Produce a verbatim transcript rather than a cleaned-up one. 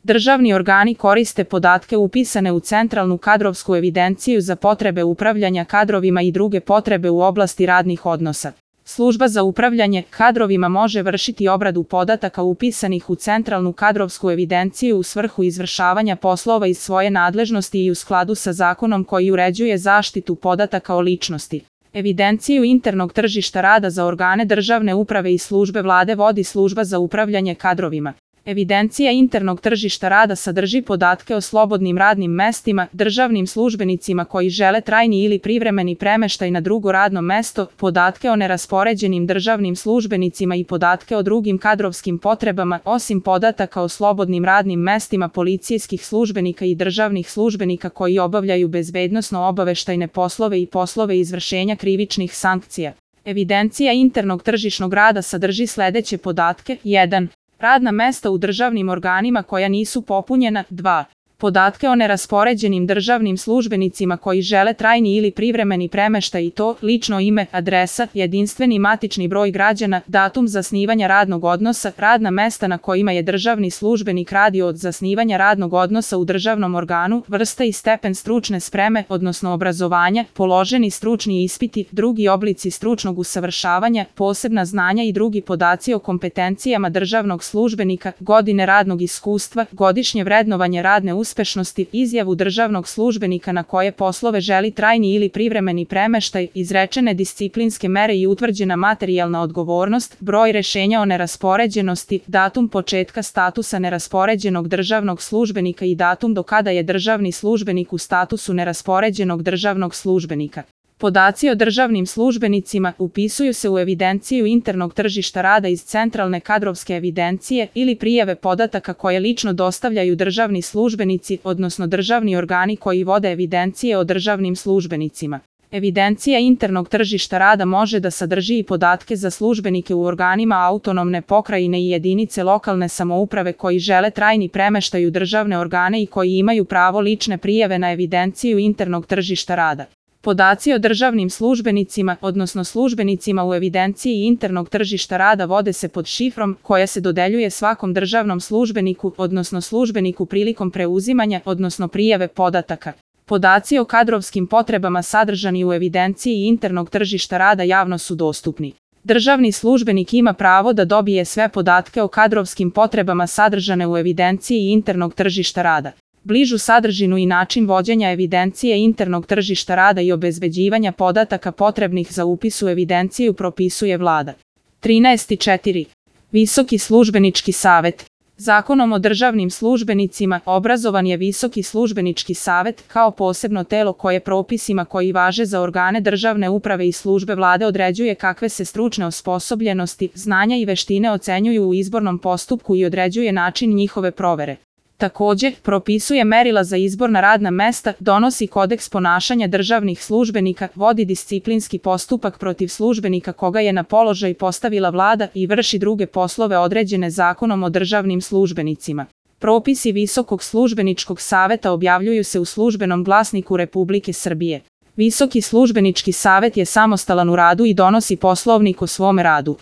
Državni organi koriste podatke upisane u centralnu kadrovsku evidenciju za potrebe upravljanja kadrovima i druge potrebe u oblasti radnih odnosa. Služba za upravljanje kadrovima može vršiti obradu podataka upisanih u centralnu kadrovsku evidenciju u svrhu izvršavanja poslova iz svoje nadležnosti i u skladu sa zakonom koji uređuje zaštitu podataka o ličnosti. Evidenciju internog tržišta rada za organe državne uprave i službe Vlade vodi Služba za upravljanje kadrovima. Evidencija internog tržišta rada sadrži podatke o slobodnim radnim mestima, državnim službenicima koji žele trajni ili privremeni premeštaj na drugo radno mesto, podatke o neraspoređenim državnim službenicima i podatke o drugim kadrovskim potrebama, osim podataka o slobodnim radnim mestima policijskih službenika i državnih službenika koji obavljaju bezbednosno-obaveštajne poslove i poslove izvršenja krivičnih sankcija. Evidencija internog tržišnog rada sadrži sledeće podatke: jedan. Radna mesta u državnim organima koja nisu popunjena. dva. Podatke o neraspoređenim državnim službenicima koji žele trajni ili privremeni premeštaj i to: lično ime, adresa, jedinstveni matični broj građana, datum zasnivanja radnog odnosa, radna mesta na kojima je državni službenik radio od zasnivanja radnog odnosa u državnom organu, vrsta i stepen stručne spreme, odnosno obrazovanja, položeni stručni ispiti, drugi oblici stručnog usavršavanja, posebna znanja i drugi podaci o kompetencijama državnog službenika, godine radnog iskustva, godišnje vrednovanje radne uspešnosti, uspešnosti, izjavu državnog službenika na koje poslove želi trajni ili privremeni premeštaj, izrečene disciplinske mere i utvrđena materijalna odgovornost, broj rešenja o neraspoređenosti, datum početka statusa neraspoređenog državnog službenika i datum do kada je državni službenik u statusu neraspoređenog državnog službenika. Podaci o državnim službenicima upisuju se u evidenciju internog tržišta rada iz centralne kadrovske evidencije ili prijave podataka koje lično dostavljaju državni službenici, odnosno državni organi koji vode evidencije o državnim službenicima. Evidencija internog tržišta rada može da sadrži i podatke za službenike u organima autonomne pokrajine i jedinice lokalne samouprave koji žele trajni premeštaj u državne organe i koji imaju pravo lične prijave na evidenciju internog tržišta rada. Podaci o državnim službenicima, odnosno službenicima u evidenciji internog tržišta rada vode se pod šifrom koja se dodeljuje svakom državnom službeniku, odnosno službeniku prilikom preuzimanja, odnosno prijave podataka. Podaci o kadrovskim potrebama sadržani u evidenciji internog tržišta rada javno su dostupni. Državni službenik ima pravo da dobije sve podatke o kadrovskim potrebama sadržane u evidenciji internog tržišta rada. Bližu sadržinu i način vođenja evidencije internog tržišta rada i obezbeđivanja podataka potrebnih za upis u evidenciju propisuje Vlada. trinaest četiri. Visoki službenički savet. Zakonom o državnim službenicima obrazovan je Visoki službenički savet kao posebno telo koje propisima koji važe za organe državne uprave i službe Vlade određuje kakve se stručne osposobljenosti, znanja i veštine ocenjuju u izbornom postupku i određuje način njihove provere. Takođe, propisuje merila za izbor na radna mesta, donosi kodeks ponašanja državnih službenika, vodi disciplinski postupak protiv službenika koga je na položaj postavila Vlada i vrši druge poslove određene Zakonom o državnim službenicima. Propisi Visokog službeničkog saveta objavljuju se u Službenom glasniku Republike Srbije. Visoki službenički savet je samostalan u radu i donosi poslovnik o svome radu.